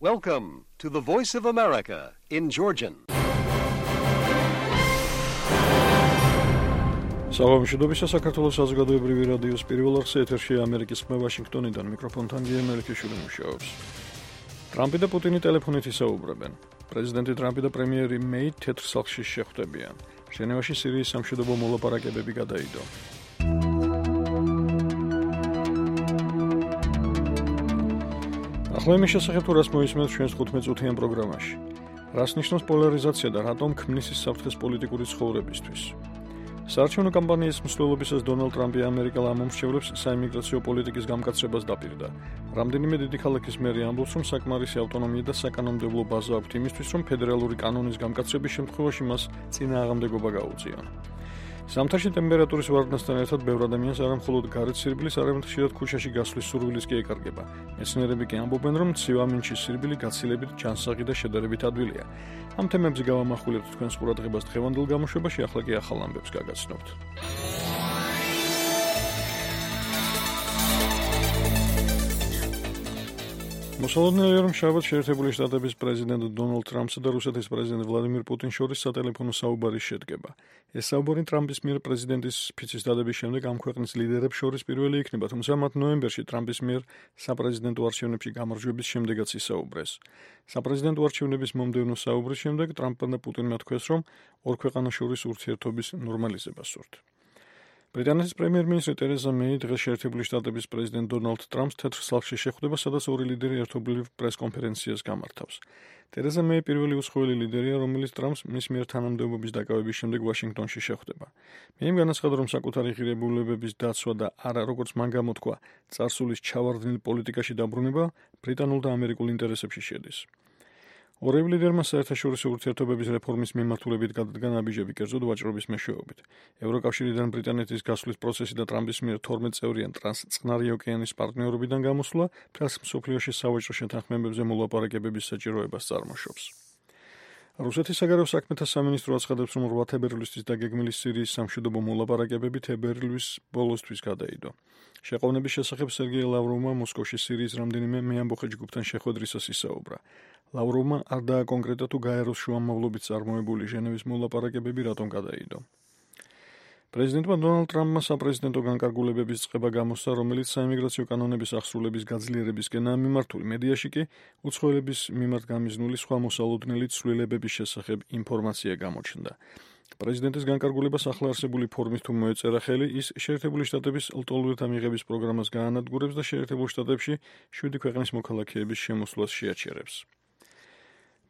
Welcome to the Voice of America in Georgian. Საღამოშიდობის საქართველოს საზოგადოებრივი რადიოს პირველ არხზე ეთერში ამერიკის ხმა ვაშინგტონიდან მიკროფონთან გია მელიქიშვილი მუშაობს. ტრამპი და პუტინი ტელეფონით ისაუბრებენ. პრეზიდენტი ტრამპი და პრემიერი მეი თეთრ სახლში შეხვდებიან. ჟენევაში სირიის სამშვიდობო მოლაპარაკებები გადაიდო. ახლა იმის შესახებ თუ რას მოისმენთ ჩვენს 15-წუთიან პროგრამაში. რას ნიშნავს პოლარიზაცია და რატომ ქმნის ის საფრთხეს პოლიტიკური ცხოვრებისთვის. საარჩევნო კამპანიის მსვლელობისას დონალდ ტრამპი ამერიკელ ამომრჩევლებს საიმიგრაციო პოლიტიკის გამკაცრებას დაპირდა. რამდენიმე დიდი ქალაქის მერი ამბობს, რომ საკმარისი ავტონომია და საკანონმდებლო ბაზა აქვთ იმისთვის, რომ ფედერალური კანონის გამკაცრების შემთხვევაში მას წინააღმდეგობა გაუწიონ. ზამთარში ტემპერატურის ვარდნასთან ერთად ბევრ ადამიანს არა მხოლოდ გარეთ სირბილის, არამედ ხშირად ქუჩაში გასვლის სურვილიც კი ეკარგება. მეცნიერები კი ამბობენ, რომ ცივა მინჩის სირბილი გაცილებით ჯანსაღი და შედარებით ადვილია. ამ თემებზე გავამახვილებთ თქვენს ყურადღებას დღევანდელ გამოშვებაში, ახლა კი ახალ ამბებს გაგაცნობთ. მოსალოდნელია, რომ შაბათს შეერთებული შტატების პრეზიდენტ დონალდ ტრამპსა და რუსეთის პრეზიდენტ ვლადიმირ პუტინს შორის სატელეფონო საუბარი შედგება. ეს საუბარი ტრამპის მიერ პრეზიდენტის ფიცის დადების შემდეგ ამ ქვეყნის ლიდერებს შორის პირველი იქნება, თუმცა მათ ნოემბერში ტრამპის მიერ საპრეზიდენტო არჩევნებში გამარჯვების შემდეგაც ისაუბრეს. საპრეზიდენტო არჩევნების მომდევნო საუბრის შემდეგ ტრამპმა და პუტინმა თქვეს, რომ ორ ქვეყანას შორის ურთიერთობის ნორმალიზებას სურთ. ბრიტანეთის პრემიერ-მინისტრი ტერეზა მეი დღეს შეერთებული შტატების პრეზიდენტ დონალდ ტრამპს თეთრ სახლში შეხვდება, სადაც ორი ლიდერი ერთობლივ პრეს-კონფერენციას გამართავს. ტერეზა მეი პირველი უცხოელი ლიდერია, რომელიც ტრამპს მის მიერ თანამდებობის დაკავების შემდეგ ვაშინგტონში შეხვდება. მეიმ განაცხადა, რომ საკუთარი ღირებულებების დაცვა და არა, როგორც მან გამოთქვა, წარსულის ჩავარდნილ პოლიტიკაში დაბრუნება ბრიტანულ და ამერიკულ ინტერესებში შედის. ორევ ლიდერმა საერთაშორისო ურთიერთობების რეფორმის მიმართულებით გადადგა ნაბიჯები, კერძოდ ვაჭრობის მეშვეობით. ევროკავშირიდან ბრიტანეთის გასვლის პროცესი და ტრამპის მიერ 12 წევრიან ტრანსწყნარი ოკეანის პარტნიორობიდან გამოსვლა მთელს მსოფლიოში სავაჭრო შეთანხმებებზე მოლაპარაკებების საჭიროებას წარმოშობს. რუსეთის საგარეო საქმეთა სამინისტრო აცხადებს, რომ 8 თებერვლისთვის დაგეგმილი სირიის სამშვიდობო მოლაპარაკებები თებერვლის ბოლოსთვის გადაიდო. შეყოვნების შესახებ სერგეი ლავროვმა მოსკოვში სირიის რამდენიმე მეამბოხე ჯგუფთან შეხვედრისას ისაუბრა. ლავროვმა არ დააკონკრეტა თუ გაეროს შუამავლობით წარმოებული ჟენევის მოლაპარაკებები რატომ გადაიდო. პრეზიდენტმა დონალდ ტრამპმა საპრეზიდენტო განკარგულებების წყება გამოსცა, რომელიც საიმიგრაციო კანონების აღსრულების გაძლიერებისკენაა მიმართული. მედიაში კი უცხოელების მიმართ გამიზნული სხვა მოსალოდნელი ცვლილებების შესახებ ინფორმაცია გამოჩნდა. პრეზიდენტის განკარგულებას ახლა არსებული ფორმით თუ მოეწერა ხელი, ის შეერთებული შტატების ლტოლვილთა მიღების პროგრამას გაანადგურებს და შეერთებულ შტატებში 7 ქვეყნის მოქალაქეების შემოსვლას შეაჩერებს.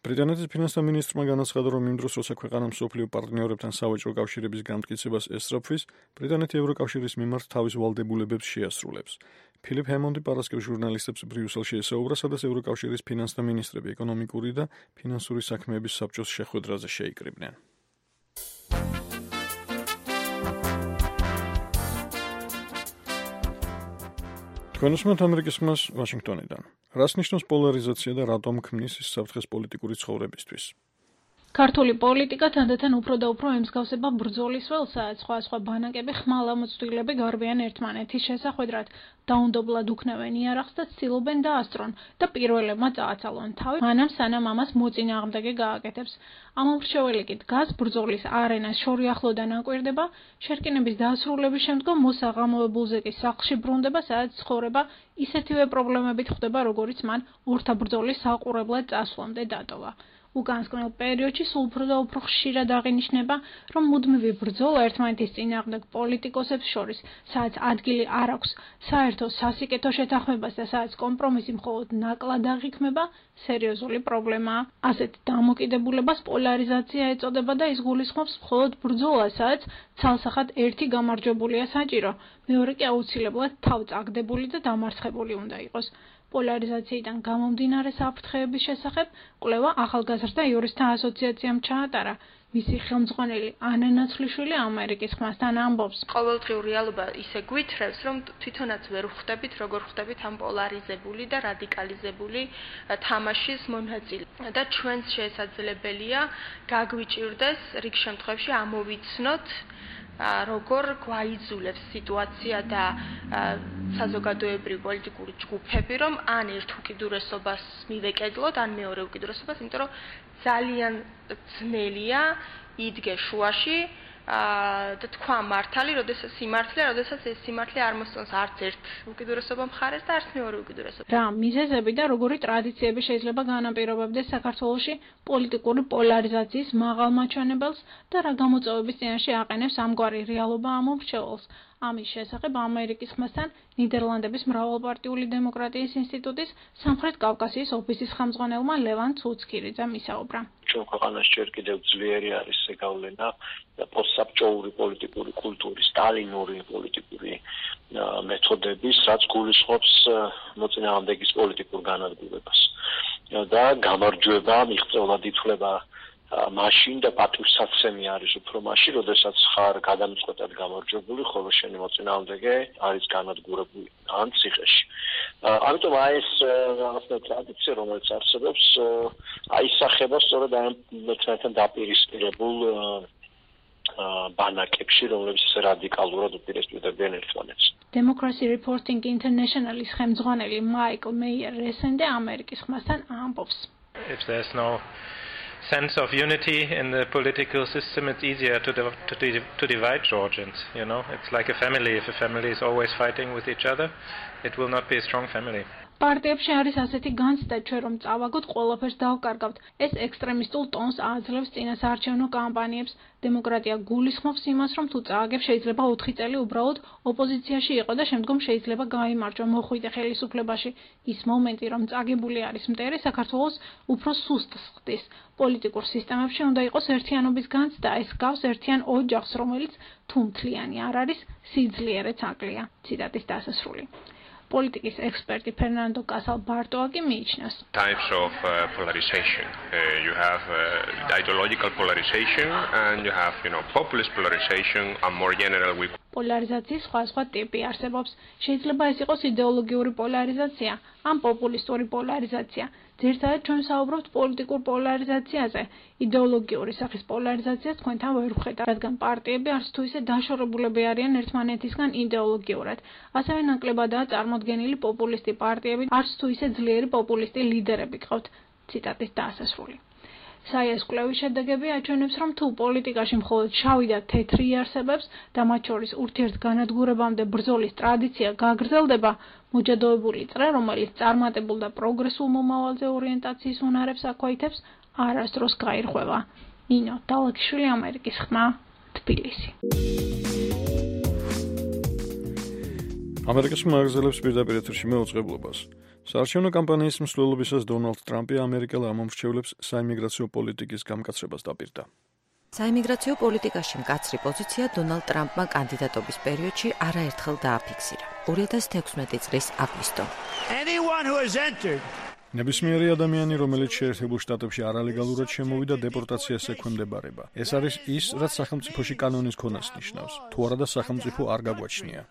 ბრიტანეთის ფინანსთა მინისტრმა განაცხადა, რომ იმ დროს, როცა ქვეყანა მსოფლიო პარტნიორებთან სავაჭრო კავშირების გამტკიცებას ესწრაფვის, ბრიტანეთი ევროკავშირის მიმართ თავის ვალდებულებებს შეასრულებს. ფილიპ ჰემონდი პარასკევს ჟურნალისტებს ბრიუსელში ესაუბრა, სადაც ევროკავშირის ფინანსთა მინისტრები ეკონომიკური და ფინანსური საქმეების საბჭოს შეხვედრაზე შეიკრიბნენ. თქვენ უსმენთ ამერიკის ხმას ვაშინგტონიდან. რას ნიშნავს პოლარიზაცია და რატომ ქმნის ის საფრთხეს პოლიტიკური ცხოვრებისთვის? ქართული პოლიტიკა თანდათან უფრო და უფრო ემსგავსება ბრძოლის ველსაც, სხვა ბანაკები ხმალამოწვრილები გარბიან ერთმანეთის შესახვედრად, დაუნდობლად უქნევენ იარაღს და ცდილობენ დაასწრონ და პირველებმა წააცალონ თავი, მანამ სანამ ამას მოწინააღმდეგე გააკეთებს. ამომრჩეველი კი დგას ბრძოლის არენას შორი ახლოდან აკვირდება, შერკინების დასრულების შემდგომ მოსაღამოებულზე კი სახლში ბრუნდება, სადაც ცხოვრება ისეთივე პრობლემებით ხვდება, როგორიც მან ორთა ბრძოლის საყურებლად წასვლამდე დატოვა. უკანასკნელ პერიოდში სულ უფრო და უფრო ხშირად აღინიშნება, რომ მუდმივი ბრძოლა ერთმანეთის წინააღმდეგ პოლიტიკოსებს შორის, სადაც ადგილი არ აქვს საერთო სასიკეთო შეთანხმებას და სადაც კომპრომისი მხოლოდ ნაკლად აღიქმება, სერიოზული პრობლემაა. ასეთ დამოკიდებულებას პოლარიზაცია ეწოდება და ის გულისხმობს მხოლოდ ბრძოლას, სადაც ცალსახად ერთი გამარჯვებულია საჭირო, მეორე კი აუცილებლად თავწაგდებული და დამარცხებული უნდა იყოს. პოლარიზაციიდან გამომდინარე საფრთხეების შესახებ კვლევა ახალგაზრდა იურისტთა ასოციაციამ ჩაატარა. მისი ხელმძღვანელი ანა ნაცვლიშვილი ამერიკის ხმასთან ამბობს. ყოველდღიურ რეალობა ისე გვითხრევს, რომ თვითონაც ვერ ხვდებით, როგორ ხვდებით ამ პოლარიზებული და რადიკალიზებული თამაშის მონაწილე. და ჩვენს შესაძლებელია გაგვიჭირდეს რიგ შემთხვევაში ამოვიცნოთ როგორ გვაიძულებს სიტუაცია და საზოგადოებრივი პოლიტიკური ჯგუფები, რომ ან ერთ უკიდურესობას მივეკედლოთ, ან მეორე უკიდურესობას, იმიტომ რომ ძალიან ძნელია იდგე შუაში და თქვა მართალი, როდესაც ეს სიმართლე არ მოსწონს არც ერთ უკიდურესობა მხარეს და არც მეორე უკიდურესობა. რა მიზეზები და როგორი ტრადიციები შეიძლება განაპირობებდეს საქართველოში პოლიტიკური პოლარიზაციის მაღალ მაჩვენებელს და რა გამოწვევების წინაშე აყენებს ამგვარი რეალობა ამომრჩეველს? ამის შესახებ ამერიკის ხმასთან ნიდერლანდების მრავალპარტიული დემოკრატიის ინსტიტუტის სამხრეთ კავკასიის ოფისის ხელმძღვანელმა ლევან ცუცქირიძემ ისაუბრა. ჩვენ ქვეყანაში ჯერ კიდევ ძლიერი არის ზეგავლენა პოსტსაბჭოური პოლიტიკური კულტურის, სტალინური პოლიტიკური მეთოდების, რაც გულისხმობს მოწინააღმდეგის პოლიტიკურ განადგურებას. და გამარჯვება, მიღწევლად ითვლება მაშინ და პატივსაცემი არის უფრო მაშინ, როდესაც ხარ გადამწყვეტად გამარჯვებული, ხოლო შენი მოწინააღმდეგე არის განადგურებული ან ციხეში. ამიტომ ეს რაღაცა ტრადიცია, რომელიც არსებობს, აისახება სწორედ ამ მეცნიერთან დაპირისპირებულ ბანაკებში, რომლებიც რადიკალურად უპირისპირდებიან ერთმანეთს. Democracy Reporting International-ის ხელმძღვანელი მაიკლ მეიერ რესენდე ამერიკის ხმასთან ამბობს. If there's no sense of unity in the political system, it's easier to divide Georgians, you know. It's like a family. If a family is always fighting with each other, it will not be a strong family. პარტიებში არის ასეთი განცდა, ჩვენ რომ წავაგოთ, ყველაფერს დავკარგავთ. ეს ექსტრემისტულ ტონს აძლევს წინასაარჩევნო კამპანიებს. დემოკრატია გულისხმობს იმას, რომ თუ წააგებ, შეიძლება 4 წელი უბრალოდ ოპოზიციაში იყო და შემდგომ შეიძლება გაიმარჯვა მოხვიდე ხელისუფლებაში. ის მომენტი, რომ წაგებული არის მტერი, საქართველოს უფრო სუსტს ხდის. პოლიტიკურ სისტემებში უნდა იყოს ერთიანობის განცდა, ეს გავს ერთიან ოჯახს, რომელიც თუ მთლიანი არ არის, სიძლიერეც აკლია. ციტატის დასასრული. Politics expert Fernando Casal Bartoagi მიიჩნევს. Types of polarization. You have ideological polarization and you have, populist polarization and more general with პოლარიზაციის სხვა ტიპი არსებობს. შეიძლება ეს იყოს იდეოლოგიური პოლარიზაცია, ან პოპულისტური პოლარიზაცია. ძირითადად ჩვენ საუბრობთ პოლიტიკურ პოლარიზაციაზე. იდეოლოგიური სახის პოლარიზაციას თქვენთან ვერ ვხედავთ, რადგან პარტიები არც თუ ისე დაშორებულები არიან ერთმანეთისგან იდეოლოგიურად. ასევე ნაკლებადაა წარმოდგენილი პოპულისტი პარტიები, არც თუ ისე ძლიერი პოპულისტი ლიდერები გყავთ. ციტატის დასასრული. საიას კვლევის შედეგები აჩვენებს, რომ თუ პოლიტიკაში მხოლოდ შავი და თეთრი არსებობს და მათ შორის ურთიერთგანადგურებამდე ბრძოლის ტრადიცია გაგრძელდება, მოჯადოებული წრე, რომელიც წარმატებულ და პროგრესულ მომავალზე ორიენტაციის უნარებს აქვეითებს, არასდროს გაირღვევა. ნინო დალაგიშვილი, ამერიკის ხმა, თბილისი. ამერიკის ხმა აგრძელებს პირდაპირ ეთერში მეუწყებლობას. საარჩევნო კამპანიის მსვლელობისას დონალდ ტრამპი ამერიკელ ამომრჩევლებს საიმიგრაციო პოლიტიკის გამკაცრებას დაპირდა. საიმიგრაციო პოლიტიკაში მკაცრი პოზიცია დონალდ ტრამპმა კანდიდატობის პერიოდში არაერთხელ დააფიქსირა. 2016 წლის აგვისტო. ნებისმიერი ადამიანი, რომელიც შეერთებულ შტატებში არალეგალურად შემოვიდა, დეპორტაციას ექვემდებარება. ეს არის ის, რაც სახელმწიფოში კანონის ქონას ნიშნავს. თუ არადა სახელმწიფო არ გაგვაჩნია.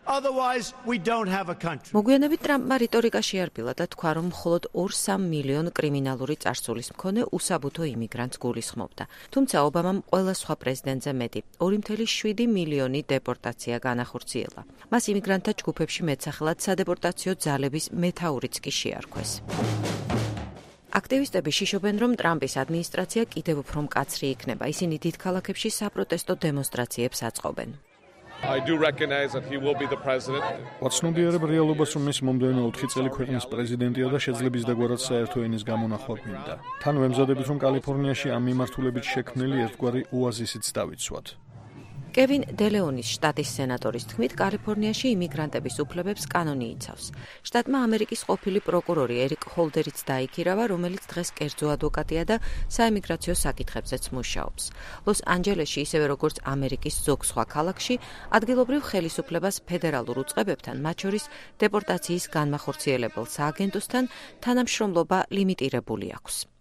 მოგვიანებით ტრამპმა რიტორიკაში არბილა და თქვა, რომ მხოლოდ 2-3 მილიონ კრიმინალური წარსულის მქონე უსაბუთო იმიგრანტს გულისხმობდა. თუმცა ობამამ ყველა სხვა პრეზიდენტზე მეტი 2,7 მილიონი დეპორტაცია განახორციელა. მას იმიგრანტთა ჯგუფებში მეტსახელად სადეპორტაციო ძალების მეთაურიც კი შეარქვეს. აქტივისტები შიშობენ, რომ ტრამპის ადმინისტრაცია კიდევ უფრო მკაცრი იქნება. ისინი დიდ ქალაქებში საპროტესტო დემონსტრაციებს აწყობენ. ვაცნობიერებ რეალობას, რომ ის მომდევნო 4 წელი ქვეყნის პრეზიდენტია და შეძლებს დაგვარად საერთო ენის გამონახვა გვინდა. თან ვემზადებით, რომ კალიფორნიაში ამ მიმართულებით შექმნილი ერთგვარი ოაზისიც დავიცვათ. კევინ დელეონის შტატის სენატორის თქმით, კალიფორნიაში იმიგრანტების უფლებებს კანონი იცავს. შტატმა ამერიკის ყოფილი პროკურორი ერიკ ჰოლდერიც დაიქირავა, რომელიც დღეს კერძო ადვოკატია და საიმიგრაციო საკითხებზეც მუშაობს. ლოს-ანჯელესში, ისევე როგორც ამერიკის ზოგ სხვა ქალაქში, ადგილობრივ ხელისუფლებას ფედერალურ უწყებებთან, მათ შორის დეპორტაციის განმახორციელებელ სააგენტოსთან თანამშრომლობა ლიმიტირებული აქვს.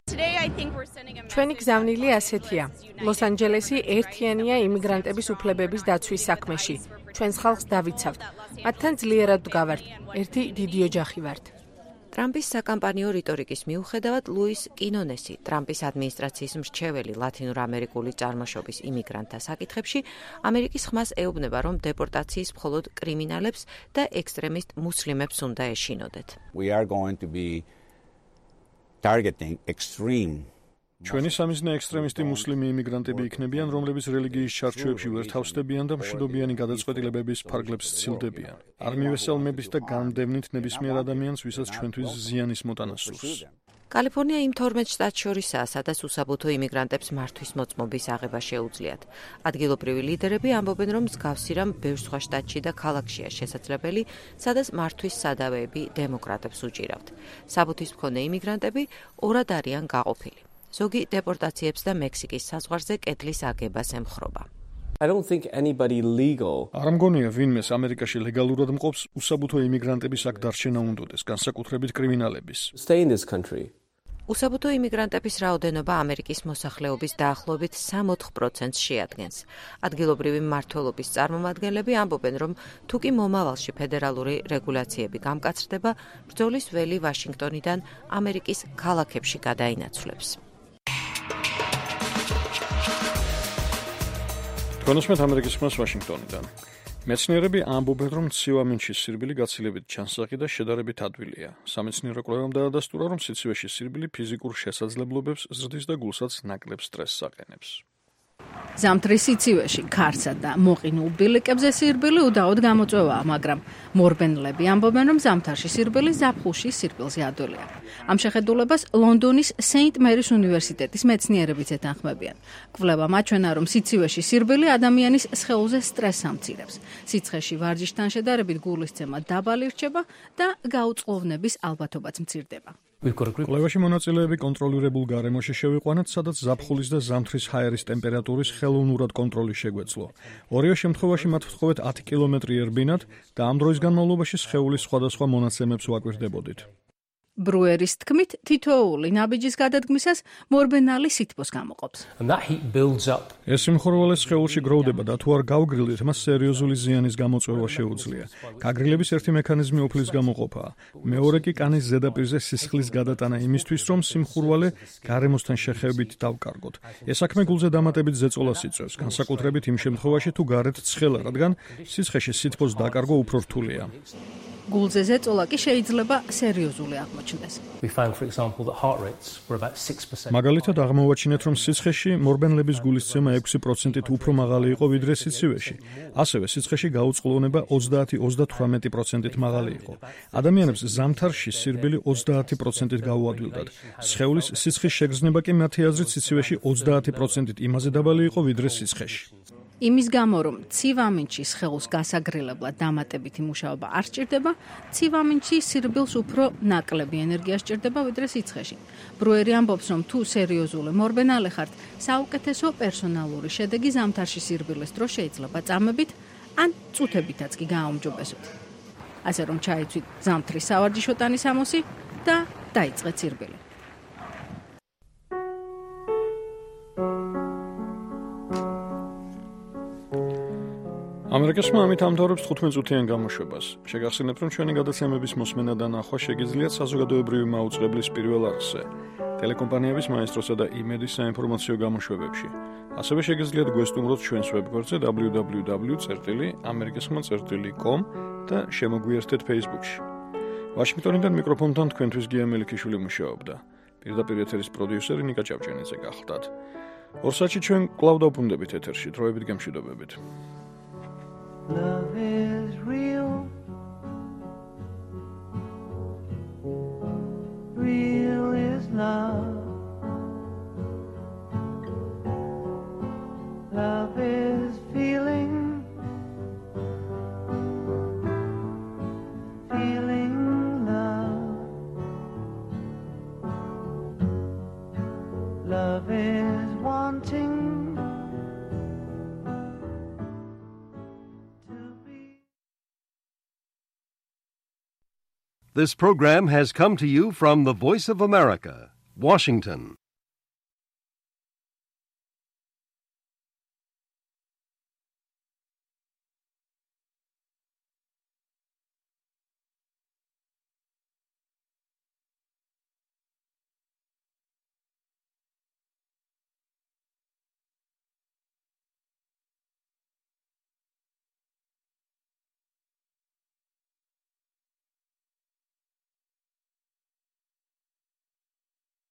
ჩვენი გზავნილი ასეთია. ლოს-ანჯელესი ერთიანია იმიგრანტების უფლებების დაცვის საქმეში. ჩვენს ხალხს დავიცავთ. მათთან ძლიერად ვდგავართ. ერთი დიდი ოჯახი ვართ. ტრამპის საკამპანიო რიტორიკის მიუხედავად ლუის კინონესი, ტრამპის ადმინისტრაციის მრჩეველი ლათინურ-ამერიკული წარმოშობის იმიგრანტთა საკითხებში, ამერიკის ხმას ეუბნება, რომ დეპორტაციის მხოლოდ კრიმინალებს და ექსტრემისტ მუსლიმებს უნდა ეშინოდეთ. We are going to be targeting extreme ჩვენი სამიზნე ექსტრემისტი მუსლიმი იმიგრანტები იქნებიან, რომლებიც რელიგიის ჩარჩოებში ვერ თავსდებიან და მშვიდობიანი გადაწყვეტილებების ფარგლებს სცილდებიან. არ მივესალმებით და გამდევნით ნებისმიერ ადამიანს, ვისაც ჩვენთვის ზიანის მოტანა სურს. კალიფორნია იმ 12 შტატს შორისაა, სადაც უსაბუთო იმიგრანტებს მართვის მოწმობის აღება შეუძლიათ. ადგილობრივი ლიდერები ამბობენ, რომ მსგავსი რამ ბევრ სხვა შტატში და ქალაქშია შესაძლებელი, სადაც მართვის სადავეები დემოკრატებს უჭირავთ. საბუთის მქონე იმიგრანტები ორად არიან გაყოფილი. ზოგი დეპორტაციებს და მექსიკის საზღვარზე კედლის აგებას ემხრობა. არ მგონია ვინმეს ამერიკაში ლეგალურად მყოფს უსაბუთო იმიგრანტების აქ დარჩენა უნდოდეს, განსაკუთრებით კრიმინალების. უსაბუთო იმიგრანტების რაოდენობა ამერიკის მოსახლეობის დაახლოებით 60%-ს შეადგენს. ადგილობრივი მმართველობის წარმომადგენლები ამბობენ, რომ თუ კი მომავალში ფედერალური რეგულაციები გამკაცრდება, ბრძოლის ველი ვაშინგტონიდან ამერიკის ქალაქებში გადაინაცვლებს. თქვენოსმეთ ამერიკის ხმას ვაშინგტონიდან. მეცნიერები ამბობენ, რომ ცივამინჩის სირბილი გაცილებით ჩანსახი და შედარებით ადვილია. სამეცნიერო კვლევამ დაადასტურა, რომ სიცივეში სირბილი ფიზიკურ შესაძლებლობებს ზრდის და გულსაც ნაკლებ სტრესს აყენებს. ზამთრის სიცივეში ქარსა და მოყინულ ბილიკებზე სირბილი უდაოდ გამოწვევაა, მაგრამ მორბენლები ამბობენ, რომ ზამთარში სირბილი ზაფხულში სირბილზე ადვილია. ამ შეხედულებას ლონდონის სეინტ მერის უნივერსიტეტის მეცნიერებიც ეთანხმებიან. კვლევა მაჩვენა, რომ სიცივეში სირბილი ადამიანის სხეულზე სტრესს ამცირებს. სიცხეში ვარჯიშთან შედარებით გულისცემა დაბალი რჩება და გაუწყლოვნების ალბათობაც მცირდება. კვლევაში მონაწილეები კონტროლირებულ გარემოში შევიყვანათ, სადაც ზაფხულის და ზამთრის ჰაერის ტემპერატურის ხელოვნურად კონტროლი შეგვეძლო. ორივე შემთხვევაში მათ ვთხოვეთ 10 კილომეტრი ერბინათ და ამ დროის განმავლობაში სხეულის სხვადასხვა მონაცემებს ვაკვირდებოდით. ბრუერის თქმით, თითოეული ნაბიჯის გადადგმისას მორბენალი სითბოს გამოყოფს. ეს სიმხურვალე სხეულში გროვდება და თუ არ გავგრილდით, მას სერიოზული ზიანის გამოწვევა შეუძლია. გაგრილების ერთი მექანიზმი ოფლის გამოყოფაა. მეორე კი კანის ზედაპირზე სისხლის გადატანა იმისთვის, რომ სიმხურვალე გარემოსთან შეხებებით დავკარგოთ. ეს საქმე გულზე დამატებით ზეწოლას იწვევს, განსაკუთრებით იმ შემთხვევაში, თუ გარეთ ცხელა, რადგან სიცხეში სითბოს დაკარგვა უფრო რთულია. გულზე ზეწოლა კი შეიძლება სერიოზული აღმოჩნდეს. მაგალითად აღმოვაჩინეთ, რომ სიცხეში მორბენლების გულისცემა 6%-ით უფრო მაღალი იყო ვიდრე სიცივეში. ასევე სიცხეში გაუწყლოვნება 30-38%-ით მაღალი იყო. ადამიანებს ზამთარში სირბილი 30%-ით გაუადვილდათ. სხეულის სიცხის შეგრძნება კი მათი აზრით სიცივეში 30%-ით იმაზე დაბალი იყო ვიდრე სიცხეში. იმის გამო, რომ ცივამინჩის სხეულს გასაგრილებლად დამატებითი მუშაობა არ სჭირდება, ცივამინჩი სირბილს უფრო ნაკლები ენერგია სჭირდება ვიდრე სიცხეში. ბრუერი ამბობს, რომ თუ სერიოზული მორბენალე ხართ, საუკეთესო პერსონალური შედეგი ზამთარში სირბილის დროს შეიძლება წამებით ან წუთებითაც კი გააუმჯობესოთ. ასე რომ ჩაიცვით ზამთრის სავარჯიშო ტანის ამოსი და დაიწყეთ სირბილი. ამერიკასმა ამით ამთავრებს 15 წუთიან გამოშვებას. შეგახსენებთ, რომ ჩვენი გადაცემების მოსმენა და ნახვა შეგიძლიათ საზოგადოებრივი მაუწყებლის პირველ არხზე, ტელეკომპანიების მაესტროსა და იმედის საინფორმაციო გამოშვებებში. ასევე შეგიძლიათ გვესტუმროთ ჩვენს ვებგვერდზე www.amerikaskhma.com და შემოგვიერთდეთ Facebook-ში. ვაშინგტონიდან მიკროფონთან თქვენთვის გია მელიქიშვილი მუშაობდა. პირდაპირ ეთერის პროდიუსერი ნიკა ჭავჭიანიძე გახლდათ. ორ საათში ჩვენ კვლავ დავბრუნდებით ეთერში, დროებით გემშვიდობებით. Love is real. Real is love. Love is feeling. Feeling love. Love is wanting. This program has come to you from the Voice of America, Washington.